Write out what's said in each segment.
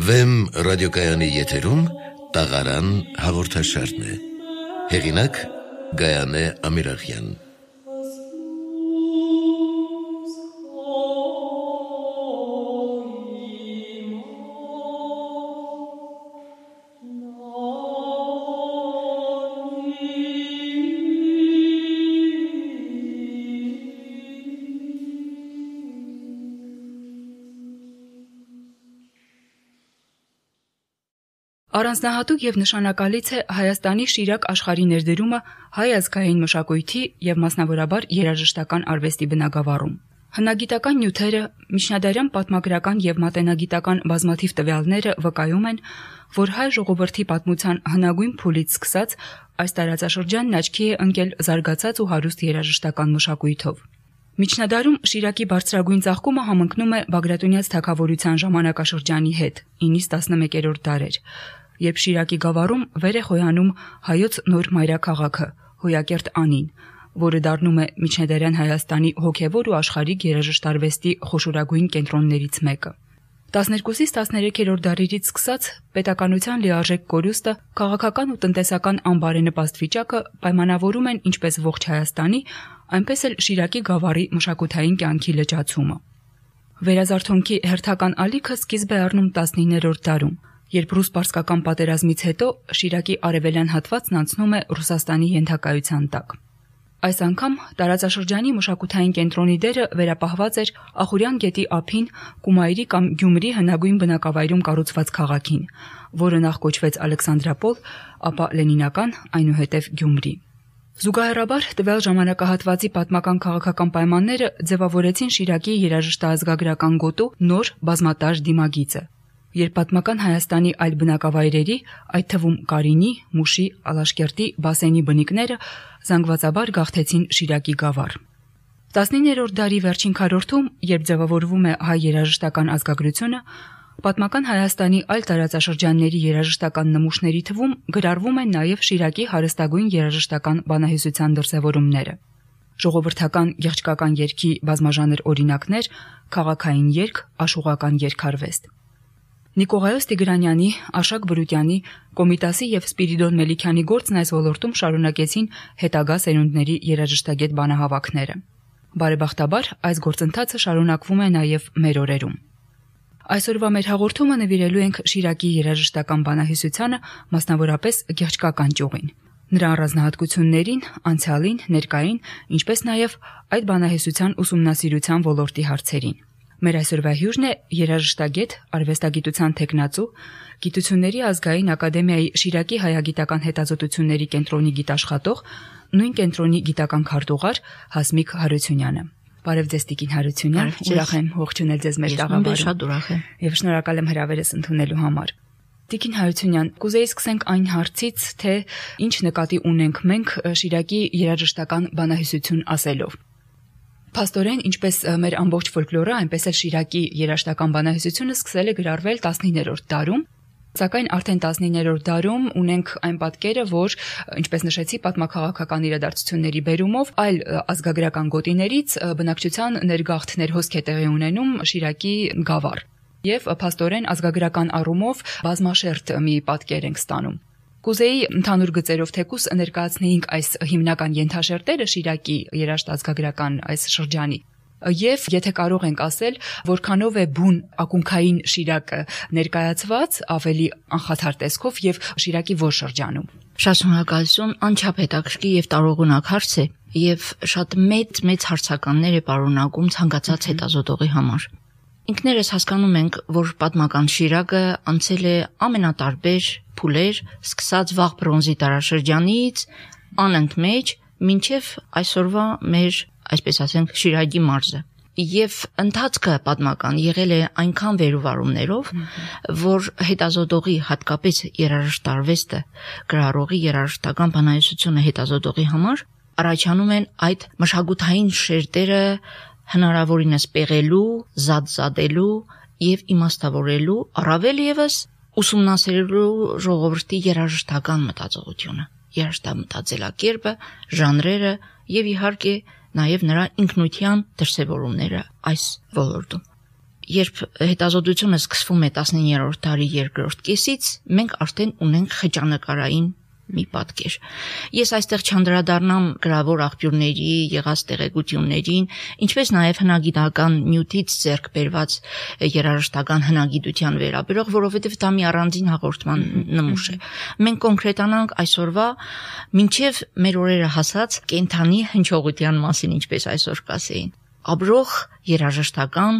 Վեմ ռադիոկայանի եթերում տաղարան հաղորդաշարն է։ Հեղինակ Գայանե Ամիրախյան։ Առանձնահատուկ եւ նշանակալից է Հայաստանի Շիրակ աշխարհի ներդրումը հայ ազգային մշակույթի եւ մասնավորաբար երաժշտական արվեստի բնագավառում։ Հնագիտական նյութերը, միջնադարյան պատմագրական եւ մատենագիտական բազմաթիվ տվյալները վկայում են, որ հայ ժողովրդի պատմության հնագույն փուլից սկսած այս տարածաշրջանն աչքի է ընկել զարգացած ու հարուստ երաժշտական մշակույթով։ Միջնադարում Շիրակի բարձրագույն ծաղկումը համընկնում է Բագրատունյաց թագավորության ժամանակաշրջանի հետ, 9-11-րդ դարեր, երբ Շիրակի գավառում վեր է խոյանում հայոց նոր մայրաքաղաքը, Հոյակերտ Անին, որը դառնում է միջնադարյան Հայաստանի հոգևոր ու աշխարհիկ երաժշտարվեստի խոշորագույն կենտրոններից մեկը։ 12-ից 13-րդ դարերից սկսած պետականության լիարժեք կորուստը, քաղաքական ու տնտեսական անբարենպաստ վիճակը պայմանավորում են ինչպես ողջ Հայաստանի, այնպես էլ Շիրակի գավառի մշակութային կյանքի լճացումը։ Վերազարթոնքի հերթական ալիքը սկիզբ է առնում 19-րդ դարում, երբ ռուս-պարսկական պատերազմից հետո Շիրակի արևելյան հատվածն անցնում է Ռուսաստանի ենթակայության տակ։ Այս անգամ տարածաշրջանի մշակութային կենտրոնի դերը վերապահված էր Ախուրյան գետի ափին Կումայրի կամ Գյումրի հնագույն բնակավայրում կառուցված քաղաքին, որը նախ կոչվեց Ալեքսանդրապոլ, ապա Լենինական, այնուհետև Գյումրի։ Զուգահեռաբար տվյալ ժամանակահատվածի պատմական քաղաքական պայմանները ձևավորեցին Շիրակի երաժշտաազգագրական գոտու նոր բազմատար դիմագիծը, երբ պատմական Հայաստանի այլ բնակավայրերի, այդ թվում Կարինի, Մուշի, Ալաշկերտի, Բասենի բնիկները զանգվածաբար գաղթեցին Շիրակի գավառ։ 19-րդ դարի վերջին քառորդում, երբ ձևավորվում է հայ երաժշտական ազգագրությունը, պատմական Հայաստանի այլ տարածաշրջանների երաժշտական նմուշների թվում գրառվում են նաև Շիրակի հարստագույն երաժշտական բանահյուսության դրսևորումները։ Ժողովրդական եղջկական երգի բազմաժանր օրինակներ, քաղաքային երգ, աշուղական երգարվեստ։ Նիկողայոս Տիգրանյանի, Արշակ Բրուտյանի, Կոմիտասի եւ Սպիրիդոն Մելիքյանի գործն այս ոլորտում շարունակեցին հետագա սերունդների երաժշտագետ բանահավաքները։ Բարեբախտաբար այս գործընթացը շարունակվում է նաև մեր օրերում։ Այսօրվա մեր հաղորդումը նվիրելու ենք Շիրակի երաժշտական բանահյուսությանը, մասնավորապես եղջկական ճյուղին, նրա առանձնահատկություններին, անցյալին, ներկային, ինչպես նաև այդ բանահյուսության ուսումնասիրության ոլորտի հարցերին։ Մեր այսօրվա հյուրն է երաժշտագետ, արվեստագիտության թեկնածու, Գիտությունների ազգային ակադեմիայի Շիրակի հայագիտական հետազոտությունների կենտրոնի գիտաշխատող, նույն կենտրոնի գիտական քարտուղար Հասմիկ Հարությունյանը։ Բարև ձեզ Տիկին Հարությունյան, ուրախ եմ ողջունել ձեզ մեր տաղավարում։ Շատ ուրախ եմ եւ շնորհակալ եմ հրավերս ընդունելու համար։ Տիկին Հարությունյան, կուզեի սկսենք այն հարցից, թե ինչ նկատի ունենք մենք Շիրակի երաժշտական բանահյուսություն ասելով։ Փաստորեն, ինչպես մեր ամբողջ ֆոլկլորը, այնպես էլ Շիրակի երաժշտական բանահյուսությունը սկսել է գրառվել 19-րդ դարում, սակայն արդեն 19-րդ դարում ունենք այն պատկերը, որ, ինչպես նշեցի, պատմաքաղաքական իրադարձությունների բերումով այլ ազգագրական գոտիներից բնակչության ներգաղթ ներհոսք է տեղի ունենում Շիրակի գավառ, եւ փաստորեն ազգագրական առումով բազմաշերտ մի պատկեր ենք ստանում։ Կուզեի ընդհանուր գծերով թեկուս ներկայացնեինք այս հիմնական ենթաշերտերը Շիրակի երաժշտազգագրական այս շրջանի եւ եթե կարող ենք ասել, որքանով է բուն ակունքային Շիրակը ներկայացված ավելի անխաթար տեսքով եւ Շիրակի որ շրջանում։ Շատ շնորհակալություն, անչափ հետաքրքիր եւ տարողունակ հարց է եւ շատ մեծ հարցականներ է պարունակում ցանկացած հետազոտողի համար։ Ինքներս հասկանում ենք, որ պատմական Շիրակը անցել է ամենատարբեր փուլեր, սկսած վաղ բրոնզի դարաշրջանից, անընդմեջ մինչև այսօրվա մեր, այսպես ասենք, Շիրակի մարզը։ Եվ ընթացքը պատմական եղել է այնքան վերուվարումներով, որ հետազոտողի, հատկապես երաժշտարվեստը, գրառողի երաժշտական բանահյուսությունը հետազոտողի համար առաջանում են այդ մշակութային շերտերը հնարավորինս պեղելու, զադզադելու եւ իմաստավորելու, առավել եւս ուսումնասիրելու ժողովրդի երաժշտական մտածողությունը, երաժշտամտածելակերպը, ժանրերը եւ իհարկե նաև նրա ինքնության դրսևորումները այս ոլորտում։ երբ հետազոտությունը սկսվում է 19-րդ դարի երկրորդ կեսից, մենք արդեն ունենք խճանկարային մի պատկեր։ Ես այստեղ չանդրադառնամ գրավոր աղբյուրների եղած տեղեկություններին, ինչպես նաև հնագիտական նյութից ձեռք բերված երաժշտական հնագիտության վերաբերող, որովհետև դա մի առանձին հաղորդման նմուշ է։ Մենք կոնկրետանանք այսօրվա մինչև մեր օրերը հասած կենթանի հնչողության մասին, ինչպես այսօր կասեին։ Ապրող երաժշտական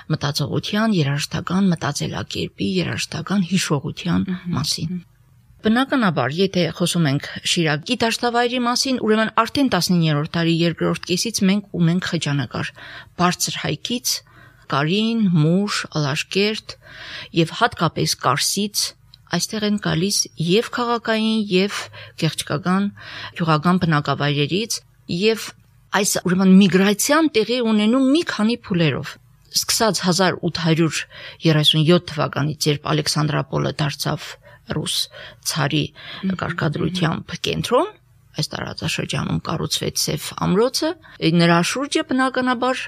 մտածողության, երաժշտական մտածելակերպի, երաժշտական հիշողության մասին։ Բնականաբար, եթե խոսում ենք Շիրակի դաշտավայրի մասին, ուրեմն արդեն 19-րդ դարի երկրորդ կեսից մենք ունենք խճանկար բարձր հայքից, Կարին, Մուշ, Ալաշկերտ եւ հատկապես Կարսից այստեղ են գալիս եւ քաղաքային եւ գեղեցկական գյուղական բնակավայրերից եւ այս ուրեմն միգրացիան տեղի ունենում մի քանի փուլերով։ Սկսած 1837 թվականից, երբ Ալեքսանդրապոլը դարձավ ռուս ցարի կարգադրությամբ կենտրոն, այս տարածաշրջանում կառուցվեց Սև ամրոցը, նրա շուրջը բնականաբար,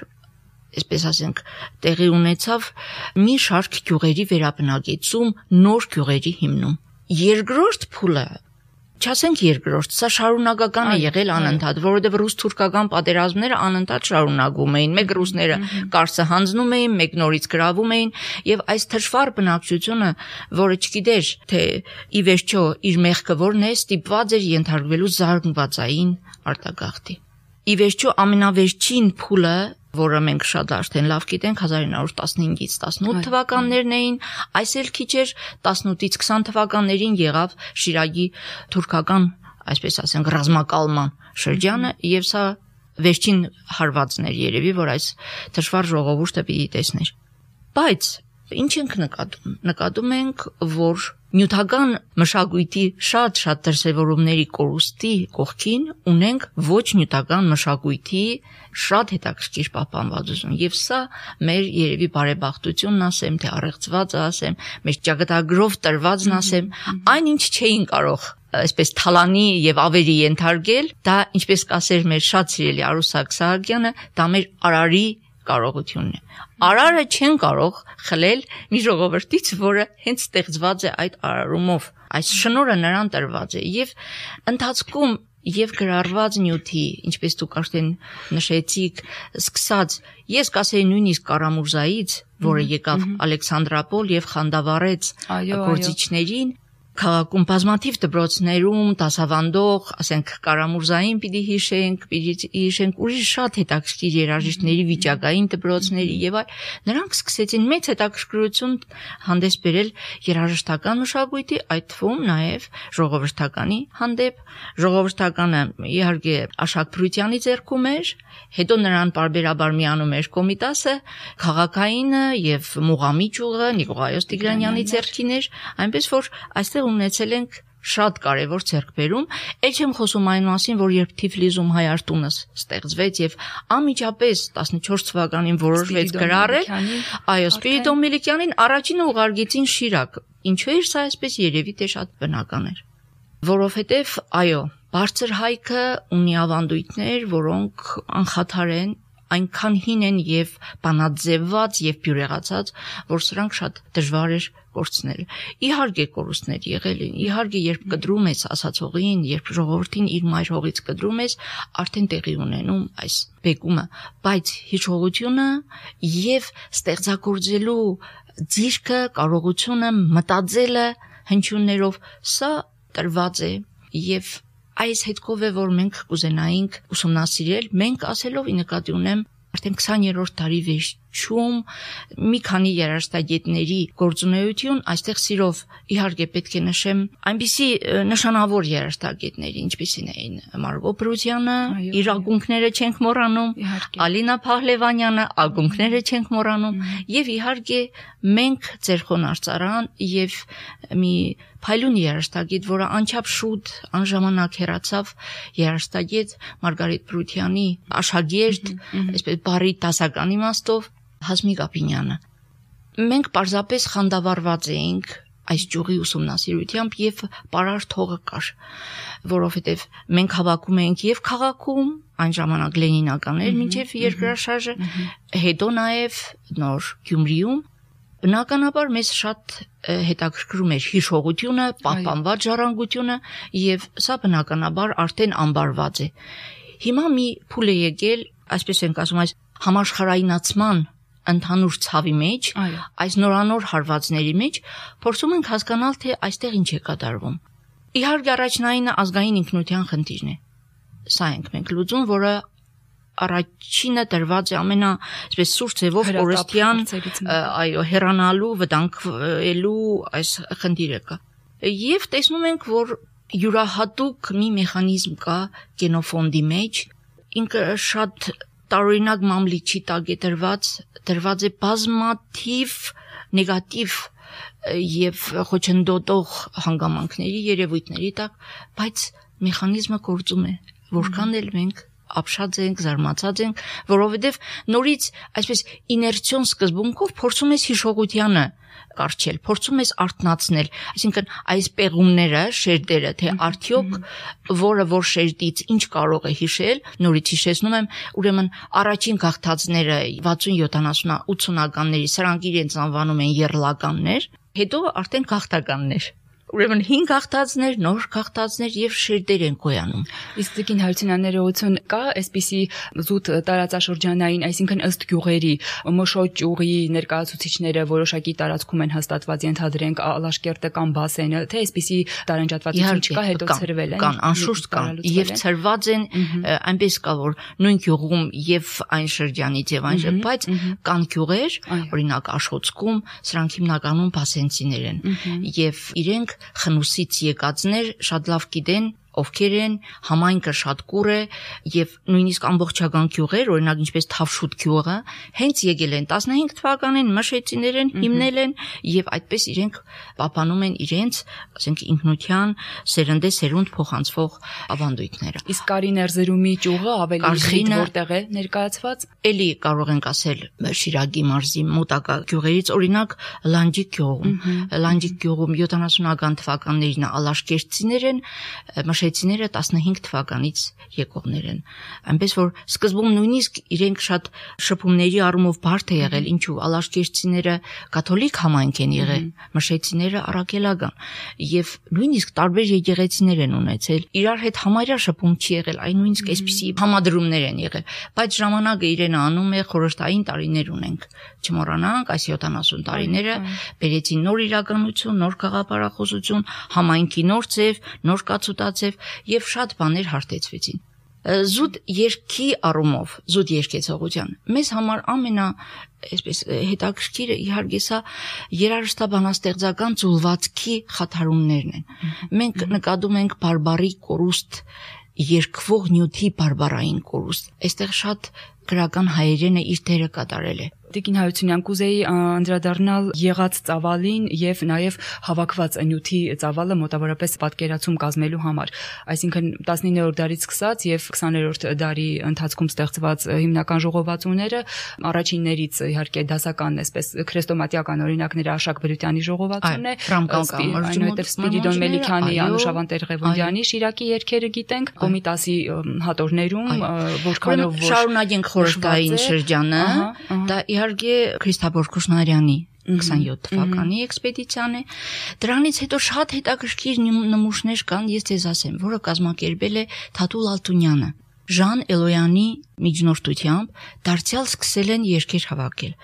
այսպես ասենք, տեղի ունեցավ մի շարք գյուղերի վերաբնակեցում, նոր գյուղերի հիմնում։ Երկրորդ փուլը, չասենք երկրորդ, սա շարունակական է եղել անընդհատ, որովհետև ռուս-թուրքական պատերազմները անընդհատ շարունակվում էին, մեկ ռուսները Կարսը հանձնում էին, մեկ նորից գրավում էին, եւ այս թշվառ բնակչությունը, որը չգիտեր, թե ի վերջո իր մեղքը որն է, ստիպված էր ենթարկվելու զարգվածային արտագաղթի։ Ի վերջո ամենավերջին փուլը, որը մենք շատ արդեն լավ գիտենք, 1915-ից 18 թվականներն էին, այս էլ քիչ էր 18-ից 20 թվականներին եղավ Շիրակի թուրքական, այսպես ասենք, ռազմակալման շրջանը, եւ սա վերջին հարվածն էր երևի, որ այս թշվառ ժողովուրդը պիտի տեսներ։ Բայց ինչ ենք նկատում։ Նկատում ենք, որ նյութական մշակույթի շատ դրսևորումների կորուստի կողքին ունենք ոչ նյութական մշակույթի շատ հետաքրքիր պահպանվածություն, եւ սա մեր երևի բարեբախտությունն ասեմ, թե առեղծվածը ասեմ, մեր ճակատագրով տրվածն ասեմ, այնինչ չէին կարող այսպես թալանի եւ ավերի ենթարկել, դա ինչպես կասեր մեր շատ սիրելի Արուսակ Սահակյանը, դա մեր արարի կարողությունն է։ Արարը չեն կարող խլել մի ժողովրդից, որը հենց ստեղծված է այդ արարումով։ Այս շնորհը նրան տրված է եւ ընթացքում եւ գրառված նյութի, ինչպես դուք արդեն նշեցիք, սկսած, ես կասեի նույնիսկ Կարամուրզայից, որը եկավ Ալեքսանդրապոլ եւ խանդավառեց գործիչներին, քաղաքում բազմաթիվ դպրոցներում դասավանդող, ասենք Կարամուրզային պիտի հիշենք ուրիշ շատ հետաքրքիր երաժիշտների վիճակային դպրոցների եւ այլ, նրանք սկսեցին մեծ հետաքրքրություն հանդես բերել երաժշտական մշակույթի, այդ թվում նաեւ ժողովրդականի հանդեպ։ Ժողովրդականը իհարկե Աշակ Փրուտյանի ձեռքում էր, հետո նրան պարբերաբար միանում էր Կոմիտասը, քաղաքայինը եւ Մուղամի ճյուղը Նիկողայոս Տիգրանյանի ձեռքին էր, այնպես որ այստեղ ունեցել ենք շատ կարևոր ձեռքբերում, ել չեմ խոսում այն մասին, որ երբ Թիֆլիսում Հայարտունը ստեղծվեց եւ անմիջապես 14 թվականին որոշվեց գրառել, այո, Սպիրիդոն Միլիկյանին առաջինը ուղարկեցին Շիրակ։ Ինչու էր սա այսպես, երևի թե շատ բնական էր, որովհետեւ այո, բարձր հայքը ունի ավանդույթներ, որոնք անխաթար են, այնքան հին են եւ բանաձևված եւ բյուրեղացած, որ սրանք շատ դժվար էր կորցնել։ Իհարկե կորուստներ եղել են, իհարկե երբ կտրում ես ասացողին, երբ ժողովրդին իր մայր հողից կտրում ես, արդեն տեղի ունենում այս բեկումը, բայց հիշողությունը եւ ստեղծագործելու ձիրքը, կարողությունը, մտածելը հնչյուններով, սա տրված է եւ այս հետքով է, որ մենք կուզենայինք ուսումնասիրել, մենք ասելով ի նկատի ունեմ արդեն 20-րդ դարի վերջում մի քանի երաժշտագետների գործունեություն, այստեղ սիրով իհարկե պետք է նշեմ այնպիսի նշանավոր երաժշտագետների, ինչպիսին էին Մարգո Պրուտյանը, իր ակունքները չենք մոռանում, Ալինա Փահլևանյանը, ակունքները չենք մոռանում, եւ իհարկե մենք Ձերխոն Արծարան եւ մի փայլուն երաժշտագետ, որը անչափ շուտ անժամանակ հեռացավ, երաժշտագետ Մարգարիտ Պրուտյանի աշակերտ, այսպես բարի դասական իմաստով, Հասմիկ Ապինյանը։ Մենք պարզապես խանդավառված էինք այս ճյուղի ուսումնասիրությամբ եւ պարարտ հողը կար, որովհետեւ մենք հավաքում էինք եւ քաղաքում, այն ժամանակ լենինականներ մինչև երկրաշարժը, հետո նաև նոր Գյումրիում բնականաբար մեզ շատ հետաքրքրում էր հիշողությունը, պահպանված ժառանգությունը եւ սա բնականաբար արդեն ամբարված է։ Հիմա մի փուլ է եկել, այսպես ենք ասում, այս համաշխարհայնացման ընդհանուր ցավի մեջ, այս նորանոր հարվածների մեջ փորձում ենք հասկանալ, թե այստեղ ինչ է կատարվում։ Իհարկե առաջնայինը ազգային ինքնության խնդիրն է։ Սա ենք մենք լուծում, որը առաջինը դրված է այսպես սուրճ ձևով օրստյան, այո, հեռանալու, վտանգելու այս խնդիրը կա։ Եվ տեսնում ենք, որ յուրահատուկ մի մեխանիզմ կա գենոֆոնդի մեջ, ինքը շատ տարօրինակ մամլիչի տակ է դրված է բազմաթիվ նեգատիվ եւ խոչընդոտող հանգամանքների, երևույթների տակ, բայց մեխանիզմը գործում է, որքան էլ մենք ապշած ենք, զարմացած ենք, որովհետև նորից այսպես իներցիոն սկզբունքով փորձում ես հիշողությանը կարճել, փորձում ես արթնացնել, այսինքն այս պեղումները, շերտերը, թե արդյոք որ շերտից ինչ կարող է հիշել, նորից հիշեցնում եմ, ուրեմն առաջին գաղթածները 60, 70, 80-ականների, սրանք իրենց անվանում են եռլականներ, հետո արդեն գաղթականներ։ Ուրեմն 5 գաղթածներ, նոր գաղթածներ եւ շերտեր են գոյանում։ Իսկ դեպքին հարցնաներողություն կա, այսպիսի զուտ տարածաշրջանային, այսինքն ըստ գյուղերի, մշոճ ուղի ներկայացուցիչները որոշակի տարածքում են հաստատված, ենթադրենք Ալաշկերտը կամ Բասենը, թե այսպիսի տարանջատվածություն չկա, հետո ցրվել են։ Կան, անշուշտ կան, եւ ցրված են, այնպես կա, որ նույն գյուղում եւ այն շրջանից եւ այն, բայց կան գյուղեր, օրինակ Աշխոցքում, սրանք հիմնականում բասենցիներ են եւ իրենք խնուսից եկածներ շատ լավ գիտեն ովքեր են, համայնքը շատ կուր է եւ նույնիսկ ամբողջական գյուղեր, օրինակ ինչպես Թավշուտ գյուղը, հենց եկել են 15 թվականին մշեցիներ են, հիմնել են եւ այդպես իրենք պահպանում են իրենց, ասենք ինքնության սերնդե-սերունդ փոխանցվող ավանդույթները։ Իսկ Կարիներզերումի գյուղը ավելի խիտ որտեղ է ներկայացված։ Էլի կարող ենք ասել Շիրակի մարզի մոտակա գյուղերից, օրինակ Լանջիկ գյուղում 70-ական թվականներին ալաշկերտցիներ են, մշեցիները 15 թվականից եկողներ են։ Այնպես որ սկզբում նույնիսկ իրենք շատ շփումների առումով բարդ է եղել, ինչու ալաշկերտցիները կաթոլիկ համայնք են եղել, մշեցիները առաքելական եւ նույնիսկ տարբեր եկեղեցիներ են ունեցել։ Իրար հետ համարյա շփում չի եղել, այն նույնիսկ այսպիսի համադրումներ են եղել, բայց ժամանակը իրեն անում է, խորհրդային տարիներ ունենք։ Չմոռանանք, այս 70 տարիները բերեցին նոր իրականություն, նոր գաղափարախոսություն, համայնքի նոր ձև, նոր կացուտացև եւ շատ բաներ հարթեցվեցին։ Զուտ երկի առումով, զուտ երկեցողության մեզ համար այսպես հետաքրքիրը իհարկե սա երաժշտաբանաստեղծական ծուլվածքի խաթարումներն են։ Մենք նկատում ենք բարբարի կորուստ, երկվող նյութի բարբարային կորուստ։ Այստեղ շատ գրական հայերենը իր դերը կատարել է։ Տիկին Հարությունյան, կուզեի անդրադառնալ եղած ծավալին եւ նաեւ հավաքված նյութի ծավալը մոտավորապես պատկերացում կազմելու համար։ Այսինքն 19-րդ դարից սկսած եւ 20-րդ դարի ընթացքում ստեղծված հիմնական ժողովածուները առաջիններից իհարկե դասական, այսպես քրեստոմատիական օրինակները Աշակ Բրютյանի ժողովածուն է, այնուհետև Սպիրիդոն Մելիքյանի, Անուշավան Տեր-Ղևոնդյանի, Շիրակի երգերը գիտենք, Կոմիտասի հատորներում, որքանով շարունակենք խորհրդային շրջանը, դա իհարկե Քրիստաբոր Քուշնարյանի 27 թվականի էքսպեդիցիան է։ Դրանից հետո շատ հետաքրքիր նմուշներ կան, ես ձեզ ասեմ, որը կազմակերպել է Թաթուլ Ալտունյանը։ Ժան Էլոյանի միջնորդությամբ դարձյալ սկսել են երգեր հավաքել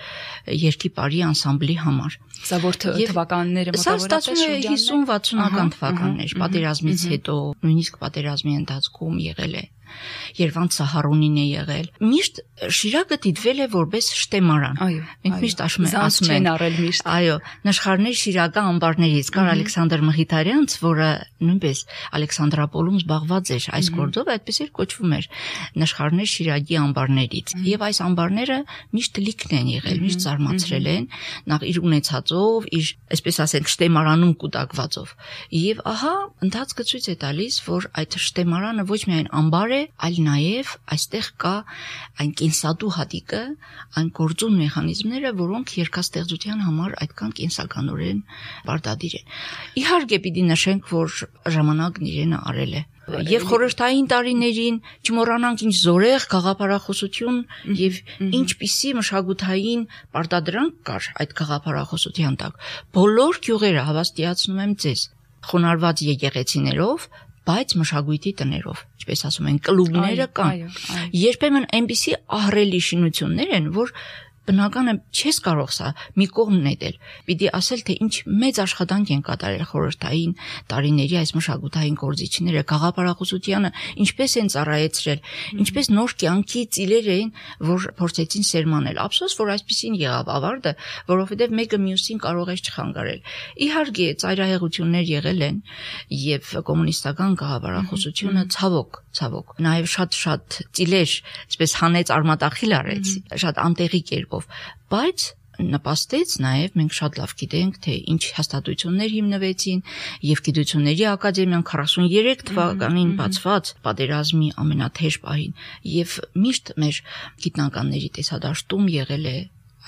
երգի բարի անսամբլի համար։ Սա որ թվականները մոտավորապես շրջանն է 50-60-ական թվականներ, պատերազմից հետո, նույնիսկ պատերազմի ընթացքում եղել է։ Երվանդ Սահարոնին է եղել։ Միշտ Շիրակը դիտվել է որպես շտեմարան։ Մենք միշտ ասում ենք, այո, նշխարներ Շիրակա ամբարներից կար Ալեքսանդր Մխիթարյանց, որը նույնպես Ալեքսանդրապոլում զբաղված էր այս գործով, այդպես էլ կոչվում էր նշխարներ Շիրակի ամբարներից։ Եվ այս ամբարները միշտ լիքն են եղել, միշտ զարմացրել են, նախ իր ունեցածով, իր, այսպես ասենք, շտեմարանում կուտակվածով։ Եվ ահա ընթացքը ցույց է տալիս, որ այդ շտեմարանը ոչ միայն ամբար է, այլ նաև այստեղ կա այն կենսատու հատիկը, այն գործուն մեխանիզմները, որոնք երգաստեղծության համար այդքան կենսականորեն պարտադիր են։ Իհարկե պիտի նշենք, որ ժամանակն իրենը արել է։ Եվ խորհրդային տարիներին չմոռանանք ինչ զորեղ գաղափարախոսություն եւ ինչպիսի մշակութային պարտադրանք կար այդ գաղափարախոսության տակ։ Բոլոր գյուղերը հավաստիացնում եմ ձեզ, խոնարհված եկեղեցիներով, բայց մշակույթի տներով, ինչպես ասում են, կլուբները կան։ Երբեմն այնպիսի ահռելի շինություններ են, որ բնական է չես կարող սա մի կողմ նետել։ Պիտի ասել, թե ինչ մեծ աշխատանք են կատարել խորհրդային տարիների այս մշակութային գործիչները, գաղափարախոսությանը ինչպես են ծառայեցրել, ինչպես նոր կյանքի ծիլեր էին, որ փորձեցին սերմանել։ Ափսոս, որ այսպեսին եղավ ավարտը, որովհետև մեկը մյուսին կարող է չխանգարել։ Իհարկե, ծայրահեղություններ եղել են, եւ կոմունիստական գաղափարախոսությունը ցավոք, նաեւ շատ ծիլեր, այսպես հանեց արմատախիլ արեց, շատ անտեղի կերպով, բայց նպաստեց նաև մենք շատ լավ գիտենք, թե ինչ հաստատություններ հիմնվեցին եւ գիտությունների ակադեմիան 43 թվականին բացված պատերազմի ամենաթեժ պահին եւ միշտ մեր գիտնականների տեսադաշտում եղել է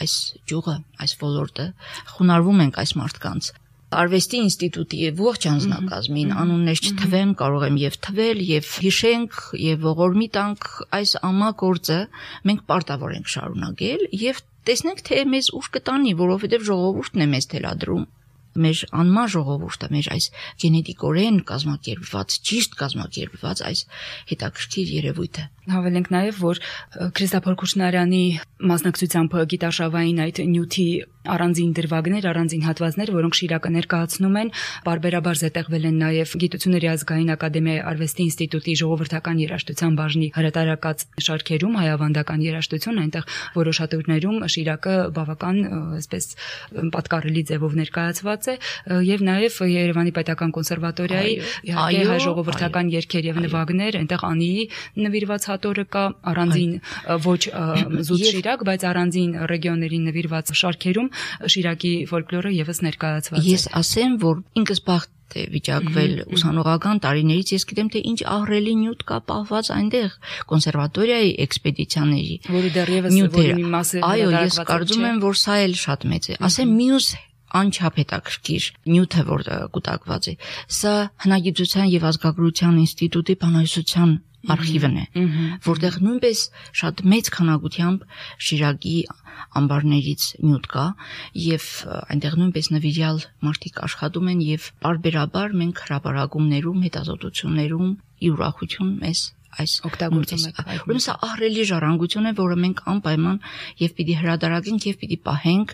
այս ջուղը, այս ոլորտը, խոնարհվում ենք այս մարդկանց։ Արվեստի ինստիտուտի ողջ անձնակազմին անուններ չթվեմ, կարող եմ եւ թվել, եւ հիշենք, եւ ողորմի տանք այս ամագործը մենք պարտավոր ենք շարունակել եւ տեսնենք, թե մեզ ուր կտանի, որովհետեւ ժողովուրդն է մեզ թելադրում։ Մեր անմար ժողովուրդը, մեր այս գենետիկորեն կազմակերպված, ճիշտ կազմակերպված այս հետաքրքիր երևույթը։ Հավելենք նաև, որ Քրիստափոր Քուչնարյանի մասնակցությամբ գիտարշավային այդ նյութի առանձին դրվագներ, առանձին հատվածներ, որոնք Շիրակը ներկայացնում են, բարբերաբար զետեղվել են նաև Գիտությունների ազգային ակադեմիայի արվեստի ինստիտուտի ժողովրդական երաժշտության բաժնի հրատարակած շարքերում, հայավանդական երաժշտություն, այնտեղ որոշ հատորներում Շիրակը բավական այսպես պատկառելի ձևով ներկայացված է, եւ նաև Երևանի Պետական կոնսերվատորիայի իհարկե հայ ժողովրդական երգեր եւ նվագներ, այնտեղ Անիի նվիրված հատորը կա, առանձին ոչ զուտ Շիրակ, բայց առանձին ռեգիոններին նվիրված շարքերում Շիրակի ֆոլկլորը եւս ներկայացված է։ Ես ասեմ, որ ինքս բախտ է վիճակվել ուսանողական տարիներից, ես գիտեմ, թե ինչ ահռելի նյութ կա պահված այնտեղ կոնսերվատորիայի էքսպեդիցիաների, որի դեռևս մի մասը այո, ես կարծում եմ, որ սա էլ շատ մեծ է։ Ասեմ մյուս անչափ հետաքրքիր նյութը, որ կուտակված է, սա Հնագիտության եւ ազգագրության ինստիտուտի բանահյուսության արխիվն է, որտեղ նույնպես շատ մեծ քանակությամբ Շիրակի ամբարներից նյութ կա եւ այնտեղ նույնպես նվիրյալ մարդիկ աշխատում են եւ բարբերաբար մենք հրապարակումներում, հետազոտություններում ի ուրախություն մեզ այս օգտագործում եք։ Ուրեմն սա ահռելի ժառանգություն է, որը մենք անպայման եւ պիտի հրադարակենք եւ պիտի պահենք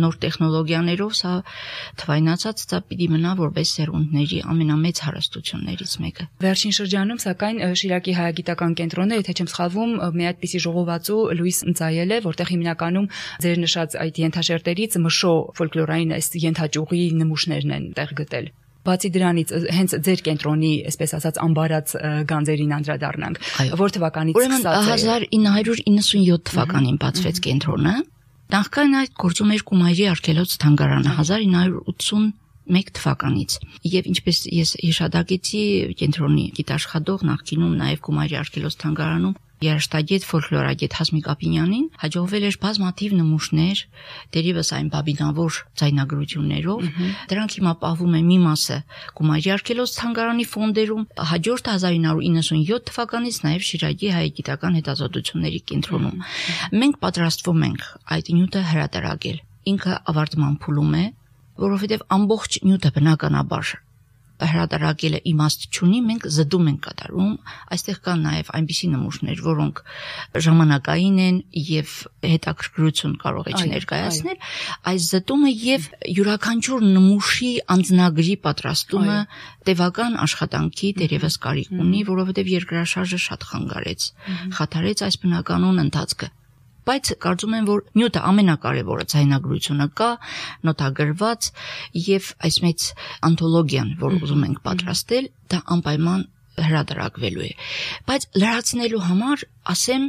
նոր տեխնոլոգիաներով, սա թվայնացած, սա պիտի մնա որպես սերունդների ամենամեծ հարստություններից մեկը։ Վերջին շրջանում, սակայն Շիրակի հայագիտական կենտրոնը, եթե չեմ սխալվում, մի այդպիսի ժողովածու լույս ընծայել է, որտեղ հիմնականում ձեր նշած այդ ենթաշերտերից մշո ֆոլկլորային այս ենթաճյուղի նմուշներն են տեղ գտել։ Բացի դրանից, հենց ձեր կենտրոնի, այսպես ասած, ամբարած գանձերին անդրադառնանք, որ թվականից սկսած է։ 1997 թվականին բացվեց կենտրոնը։ Նախքան այդ գործում էր Կումայրի արգելոց թանգարանը 1981 թվականից։ Եվ ինչպես ես հիշադակեցի, կենտրոնի գիտաշխատող նախկինում նաև Կումայրի արգելոց թանգարանում երաժշտագետ ֆոլկլորագետ Հասմիկ Ապինյանին հաջողվել էր բազմաթիվ նմուշներ, դերևս այն բաբինավոր ձայնագրություններով, դրանք հիմա պահվում է մի մասը Կումայրի արգելոց թանգարանի ֆոնդերում, հաջորդ 1997 թվականից նաև Շիրակի հայագիտական հետազոտությունների կենտրոնում։ Մենք պատրաստվում ենք այդ նյութը հրատարակել։ Ինքը ավարտման փուլում է, որովհետև ամբողջ նյութը բնականաբար հրատարակելը իմաստ չունի, մենք զդում ենք կատարում, այստեղ կան նաև այնպիսի նմուշներ, որոնք ժամանակային են եւ հետաքրքրություն կարող է չներկայացնել, այս զդումը եւ յուրաքանչյուր նմուշի անձնագրի պատրաստումը տևական աշխատանքի դերևս կարիք ունի, որովհետեւ երկրաշարժը շատ խաթարեց այս բնականոն ընթացքը։ Բայց կարծում եմ, որ նյութը ամենակարևորը ձայնագրությունը կա, նոտագրված եւ այս մեծ անթոլոգիան, որ ուզում ենք պատրաստել, դա անպայման հրատարակվելու է։ Բայց լրացնելու համար, ասեմ,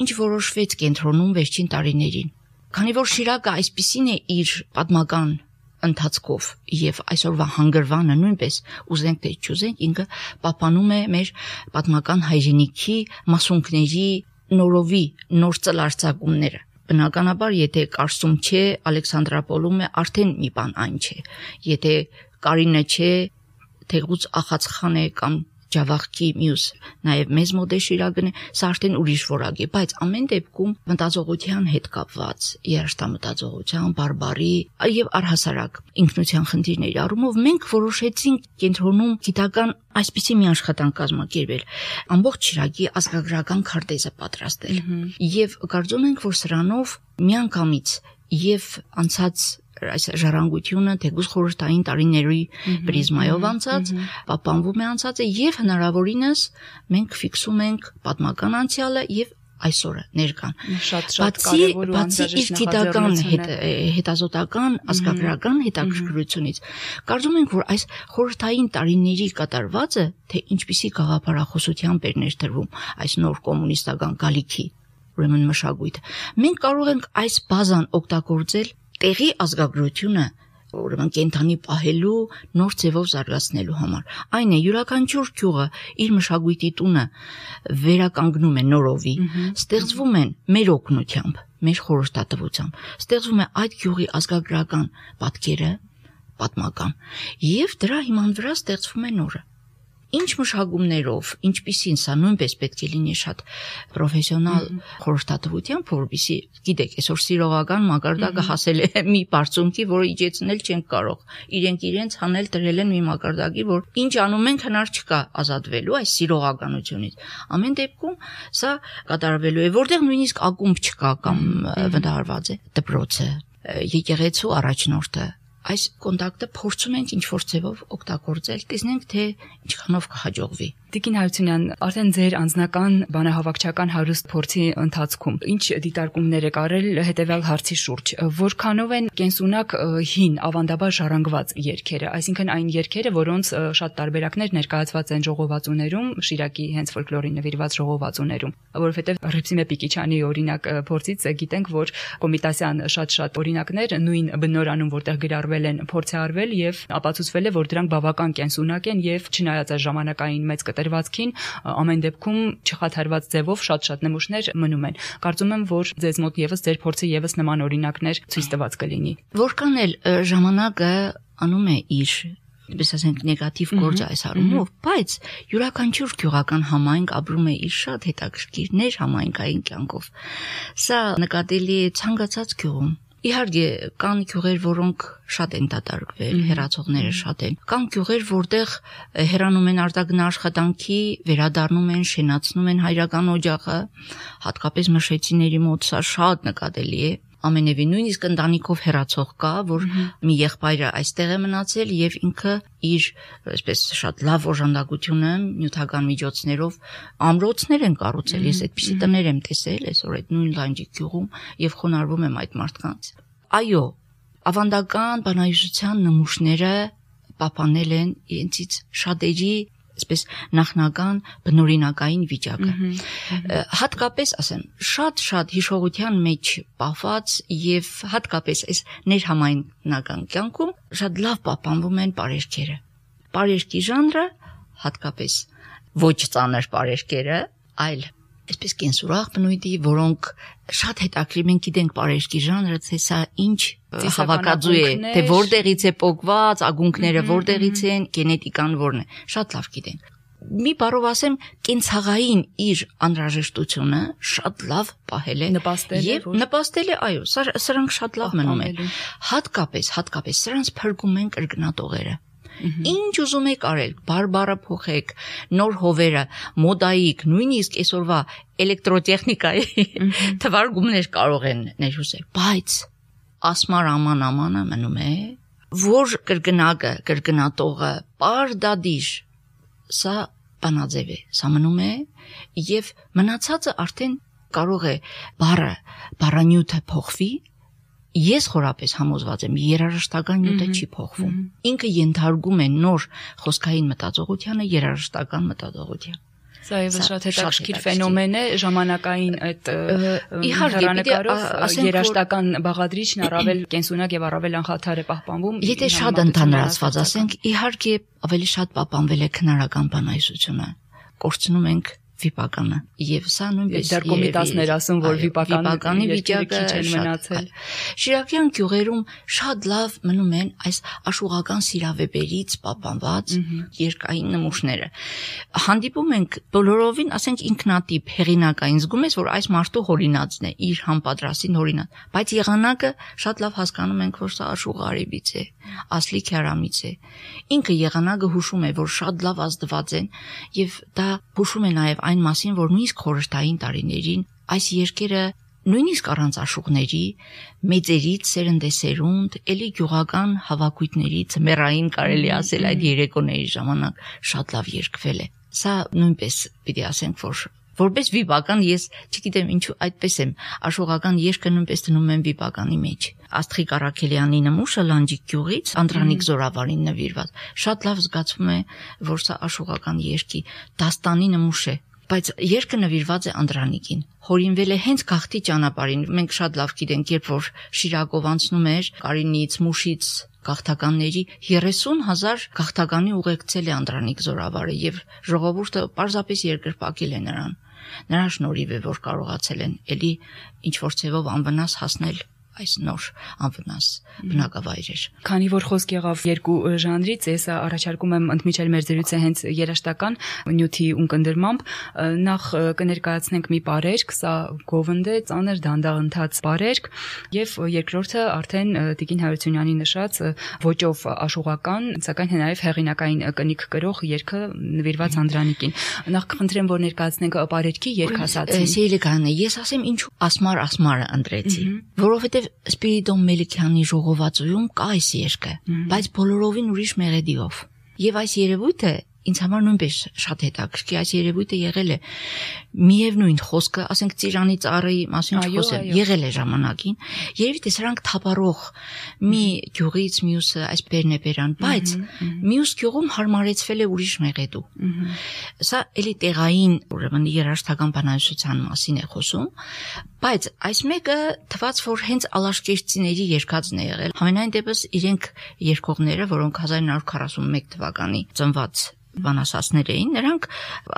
ինչ որոշվեց կենտրոնում վերջին տարիներին։ Քանի որ Շիրակը այսպիսին է իր պատմական ընթացքով եւ այսօրվա հանգրվանը նույնպես ուզենք թե չուզենք, ինքը պահպանում է մեր պատմական հայրենիքի մասունքների նորովի նոր ծլարձակումները։ Բնականաբար, եթե Կարսում չէ, Ալեքսանդրապոլում է, արդեն մի բան այն չէ։ Եթե Կարինը չէ, թեղուց Ախացխան է կամ ջավախքի մյուս նաև մեզ մոտ է շիրագնը, սա արդեն ուրիշ որակ է, բայց ամեն դեպքում մտածողության հետ կապված, երաշտամտածողության, բարբարի եւ առհասարակ ինքնության խնդիրների առումով մենք որոշեցինք կենտրոնում գիտական այսպիսի մի աշխատանք կազմակերպել, ամբողջ Շիրակի ազգագրական քարտեզը պատրաստել։ Եվ կարծում ենք, որ սրանով միանգամից եւ անցած այս ժառանգությունը թեկուզ խորհրդային տարիների պրիզմայով անցած, պահպանվում է անցածը եւ հնարավորինս մենք ֆիքսում ենք պատմական անցյալը եւ այսօրը ներկան։ Շատ կարևոր ու անհրաժեշտ գիտական հետազոտական ազգագրական հետաքրքրությունից կարծում ենք, որ այս խորհրդային տարիների կատարվածը, թե ինչպիսի գաղափարախոսությամբ էր ներդրվում այս նոր կոմունիստական գալիքի ուրեմն մշակույթը, մենք կարող ենք այս բազան օգտագործել տեղի ազգագրությունը ուրեմն կենթանի պահելու նոր ձևով զարգացնելու համար։ Այն է յուրաքանչյուր գյուղը իր մշակույթի տունը վերականգնում է նորովի, ստեղծվում են մեր օգնությամբ, մեր խորհրդատվությամբ, ստեղծվում է այդ գյուղի ազգագրական պատկերը, պատմական, եւ դրա հիման վրա ստեղծվում է նորը։ Ինչ մշակումներով, ինչպիսին սա նույնպես պետք է լինի շատ պրոֆեսիոնալ խորհրդատվությամբ, որովհետեւ գիտեք, այսօր սիրողական մակարդակը հասել է մի բարձունքի, որը իջեցնել չենք կարող։ Իրենք իրենց հանել դրել են մի մակարդակի, որ ինչ անում ենք հնար չկա ազատվելու այս սիրողականությունից։ Ամեն դեպքում սա կատարվելու է, որտեղ նույնիսկ ակումբ չկա կամ վտարված է դպրոցը, եկեղեցու առաջնորդը։ Այս կոնտակտը փորձում ենք ինչ-որ ձևով օգտագործել, տեսնենք թե ինչքանով կհաջողվի։ Տիկին Հարությունյան, արդեն ձեր անձնական բանահավաքչական հարուստ փորձի ընթացքում ինչ դիտարկումներ եք արել հետևյալ հարցի շուրջ, որքանով են կենսունակ հին ավանդաբար ժառանգված երգերը, այսինքն այն երգերը, որոնց շատ տարբերակներ ներկայացված են ժողովածուներում, Շիրակի հենց ֆոլկլորին նվիրված ժողովածուներում, որովհետև Հռիփսիմե Պիկիչյանի օրինակ փորձից գիտենք, որ Կոմիտասյան շատ օրինակներ նույն բնորանում, որտեղ գրառվել են, փորձ է արվել եւ ապացուցվել է, որ դրանք բավական կենսունակ են եւ չնայած այս ժամանակային մեծ կտրվածքին, ամեն դեպքում չխաթարված ձևով շատ նմուշներ մնում են։ Կարծում եմ, որ ձեզ մոտ եւս ձեր փորձը եւս նման օրինակներ ցույց տված կլինի։ Որքան էլ ժամանակը անում է իր ինչպես ասենք նեգատիվ գործ այս առումով, բայց յուրաքանչյուր գյուղական համայնք ապրում է իր շատ հետաքրքիր ներհամայնքային կյանքով։ Սա նկատելի է ցանկացած գյուղում։ Իհարկե կան գյուղեր, որոնք շատ են դատարկվել, հեռացողները շատ են։ Կան գյուղեր, որտեղ հեռանում են արտագնա աշխատանքի, վերադառնում են, շենացնում են հայրական օջախը, հատկապես մշեցիների մոտ սա շատ նկատելի է։ Ամենևին նույնիսկ ընտանիքով հեռացող կա, որ մի եղբայրը այստեղ է մնացել եւ ինքը իր այսպես շատ լավ օժանդակությունը նյութական միջոցներով ամրոցներ են կառուցել։ Ես այդպիսի տներ եմ տեսել այսօր այդ նույն Լանջի գյուղում եւ խոնարհվում եմ այդ մարդկանց։ Այո, ավանդական բանահյուսության նմուշները պահպանել են իրենցից շատերի այսպես նախնական բնօրինակային վիճակը։ Հատկապես ասեմ, շատ հիշողության մեջ պահված եւ հատկապես այս ներհամայնական կյանքում շատ լավ պահպանվում են պարերկերը։ Պարերկի ժանրը, հատկապես ոչ ծանր պարերկերը, այլ այսպես կենսուրախ բնույթի, որոնք շատ հետաքրքիր, մենք գիտենք պարերկի ժանրը, թե սա ինչ հավաքածու է, թե որտեղից է պոկված, ակունքները որտեղից են, գենետիկան որն է, շատ լավ գիտենք։ Մի բառով ասեմ, կենցաղային իր անհրաժեշտությունը շատ լավ պահել է եւ նպաստել է, այո, սրանք շատ լավ մնում են։ Հատկապես սրանց փրկում են կրկնատողերը։ Ինչ ուզում եք արել, բարբառը փոխեք, նոր հովերը, մոդայիկ, նույնիսկ այսօրվա էլեկտրոտեխնիկայի թվարկումներ կարող են ներհուսել, բայց ասմար ամանը մնում է, որ կրկնակը, կրկնատողը, պարդադիր, սա բանաձև է, սա մնում է եւ մնացածը արդեն կարող է բառանյութը փոխվի։ Ես խորապես համոզված եմ, երաժշտական նյութը չի փոխվում։ Ինքը ենթարկում է նոր խոսքային մտածողությանը, երաժշտական մտածողության։ Սա եւս շատ հետաքրքիր ֆենոմեն է, ժամանակային այդ հեռանկարով երաժշտական բաղադրիչն առավել կենսունակ եւ առավել անխաթար է պահպանվում։ Եթե շատ ընդհանրացված ասենք, իհարկե ավելի շատ պահպանվել է քնարական բանահյուսությունը։ Կորցնում ենք վիպականը եւ սա նույնպես դեռ կոմիտասներ ասում որ վիպականի վիճակը քիչ են մնացել Շիրակյան գյուղերում շատ լավ մնում են այս աշխուղական սիրավեպերից պահպանված երկային նմուշները հանդիպում ենք բոլորովին ասենք ինքնատիպ հեղինակային զգում ես որ այս մարդու հորինածն է իր համապատրաստին հորինած բայց եղանակը շատ լավ հասկանում ենք որ սա աշխուղարիվից է ասլիկ հրամից է ինքը եղանակը հուշում է որ շատ լավ ազդված են եւ դա հուշում է նաեւ այն մասին, որ նույնիսկ խորհրդային տարիներին այս երկերը նույնիսկ առանց աշուղների, մեծերից սերնդեսերունդ, էլի գյուղական հավաքույթներից մեռային կարելի ասել այդ երեկոների ժամանակ շատ լավ երգվել է։ Սա նույնպես պիտի ասենք, որ որպես վիպական ես չգիտեմ ինչու այդպես եմ աշխուղական երգը նույնպես դնում եմ վիպականի մեջ Աստղիկ Առաքելյանի նմուշը Լանջիկ գյուղից Անդրանիկ Զորավարին նվիրված շատ լավ զգացվում է որ սա աշխուղական երգի դաստանի նմուշ է բայց երգը նվիրված է Անդրանիկին հորինվել է հենց գաղթի ճանապարհին մենք շատ լավ գիտենք երբ որ Շիրակով անցնում էր Կարինից Մուշից գաղթականների 30,000 գաղթականի ուղեկցել է Անդրանիկ Զորավարը եւ ժողովուրդը պարզապես երկրպագել է նրան նրա շնորհիվ է որ կարողացել են էլի ինչ որ ցևով անվնաս հասնել այս նոր անվնաս բնակավայրեր Քանի որ խոսք եղավ երկու ժանրից ես առաջարկում եմ ընդմիջել մեր զրույցը հենց երաժշտական նյութի ունկնդրմամբ նախ կներկայացնենք մի պարերգ սա գովնդ է ծանր դանդաղընթաց պարերգ եւ երկրորդը արդեն Տիկին Հարությունյանի նշած ոճով աշխուղական սակայն նաեւ հեղինակային կնիկ կրող երգը նվիրված Անդրանիկին նախ կխնդրեմ որ ներկայացնենք պարերգի երգասացին Սիրիկանը ես ասեմ ինչու ասմարը ընտրեցի որովհետեւ Սպիրիդոն Մելիքյանի ժողովածուում կա այս երգը, բայց բոլորովին ուրիշ մեղեդիով։ Եվ այս երևույթը ինձ համար նույնպես շատ հետաքրքիր այս երևույթը եղել է միևնույն խոսքը, ասենք Ծիրանի ծառի մասին խոսեմ, եղել է ժամանակին, երևի թե սրանք թափառող մի գյուղից մյուսը այս բերնեբերան, բայց մյուս գյուղում հարմարեցվել է ուրիշ մեղեդու։ Սա էլի տեղային, ուրեմն երաժշտական բանահյուսության մասին է խոսում, բայց այս մեկը թվաց որ հենց ալաշկերտցիների երգածն է եղել։ Համենայն դեպս իրենք երգողները, որոնք 1941 թվականի ծնված բանասացներ էին, նրանք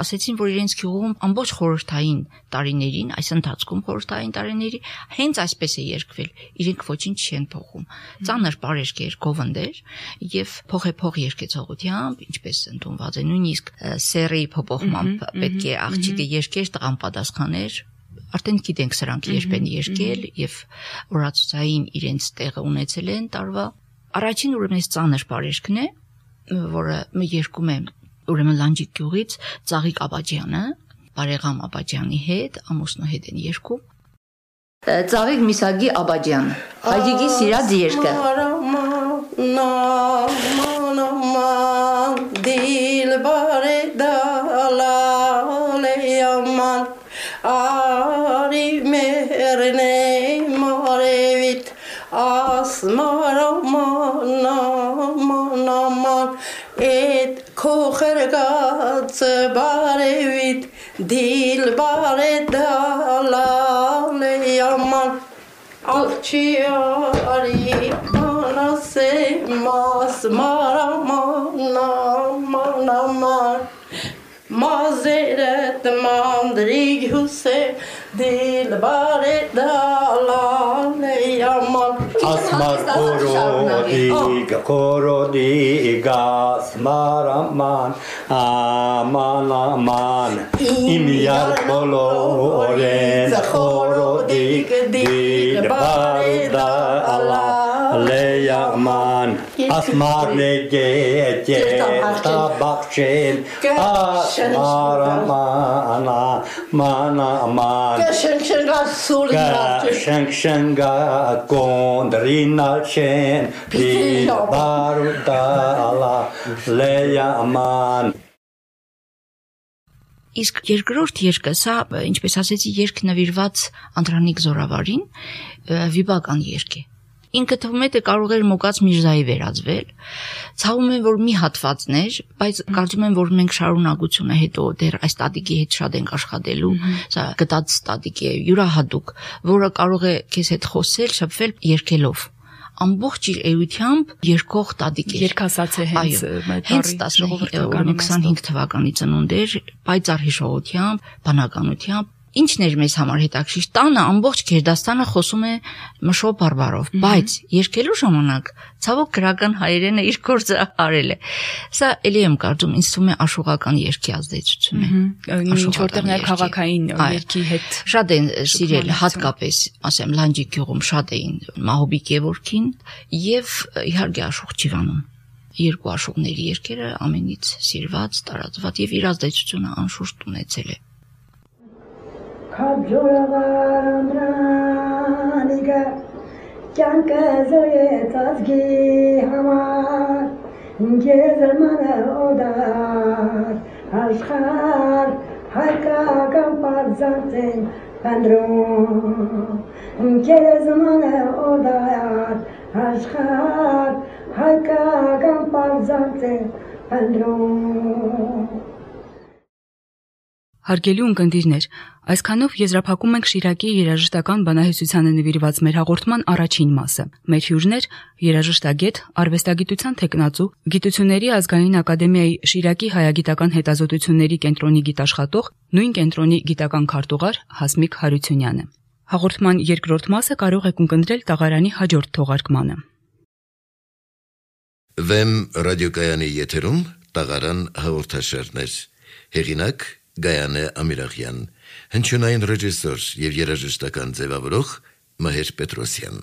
ասեցին, որ իրենց գյուղում ամբողջ խորհրդային տարիներին, այս ընթացքում խորհրդային տարիների հենց այսպես է երգվել, իրենք ոչինչ չեն փոխում։ Ծանր պարերգ էր, գովնդ էր եւ փոխեփող երգեցողությամբ, ինչպես ընդունված է, նույնիսկ սերի փոփոխմամբ պետք է աղջիկը երգեր, տղան պատասխաներ Արդեն գիտենք սրանք երբ են երգել եւ օրացուցային իրենց տեղը ունեցել են տարվա։ Առաջին ուրեմն այս ծանր պարերգն է, որը մի երգում է ուրեմն Լանջիկ գյուղից Ծաղիկ Աբաջյանը, Բարեգամ Աբաջյանի հետ, ամուսնու հետ են երգում։ Ծաղիկ Միսագի Աբաջյանը, հայրիկի սիրած երգը։ Ari merne marevit asmaraman et kochergat barevit dil baredalale yaman akçiyari anase masmaraman Mazeret mandrig husse dilbare dalale yaman Asmar korodiga smaraman aman imyar koloren korodig dilbare dalale yaman Asmar nege tabakchen Mana Shenga Gondrina Chen Barudala Leyaman Իսկ երկրորդ երգը, սա, ինչպես ասեցի, երգ նվիրված Անդրանիկ Զորավարին, վիպական երգ է։ Ինքը թվում է թե կարող էր Մոկաց Միրզայի վերածվել։ Ցավում եմ որ մի հատվածն էր, բայց կարծում եմ որ մենք շարունակությունը հետո դեռ այս ստատիկի հետ շատ ենք աշխատելու։ Սա գտած ստատիկ է յուրահատուկ, որը կարող է քեզ հետ խոսել, շփվել երգելով։ ամբողջ իր էությամբ երկող տատիկ էր։ Երկասաց է հենց հենց 25 թվականի ծնունդ էր, պայծառ հիշողությամբ, բանականությամբ։ Ինչն էր մեզ համար հետաքրքիր, տանը ամբողջ Գերդաստանը խոսում է մշո բարբարով, բայց երկելու ժամանակ ցավոք գրական հայերենը իր գործը արել է։ Սա էլի եմ կարծում, ինձ թվում է աշխուղական երգի ազդեցություն է։ Ինչ որտեղ նաև քաղաքային երգի հետ շատ են սիրել, հատկապես, ասեմ, Լանջի գյուղում շատ էին Մահոբի Գևորգին եւ իհարկե Աշխուղ Ջիվանում։ Երկու աշխուղների երգերը ամենից սիրված, տարածված եւ իր ազդեցությունը անշուշտ ունեցել է։ Քաջորավարանանիգա կյանքը զոյեց ազգի համար ինգեզմանը օդար աշխար հայկական պարզանցեն պանդրում ինգեզմանը օդար աշխար հայկական պարզանցեն պանդրում Հարգելի ունկնդիրներ, այսքանով եզրափակում ենք Շիրակի երաժշտական բանահյուսությանը նվիրված մեր հաղորդման առաջին մասը։ Մեր հյուրներ երաժշտագետ, արվեստագիտության թեկնածու, Գիտությունների ազգային ակադեմիայի Շիրակի հայագիտական հետազոտությունների կենտրոնի գիտաշխատող, նույն կենտրոնի գիտական քարտուղար Հասմիկ Հարությունյանը։ Հաղորդման երկրորդ մասը կարող եք ունկնդրել տաղարանի հաջորդ թողարկմանը։ Վեմ ռադիոկայանի եթերում տաղարան հաղորդաշարներ։ Հեղինակ Գայանե Ամիրախյան, հնչյունային ռեժիսոր եւ երաժշտական ձևավորող Մհեր Պետրոսյան։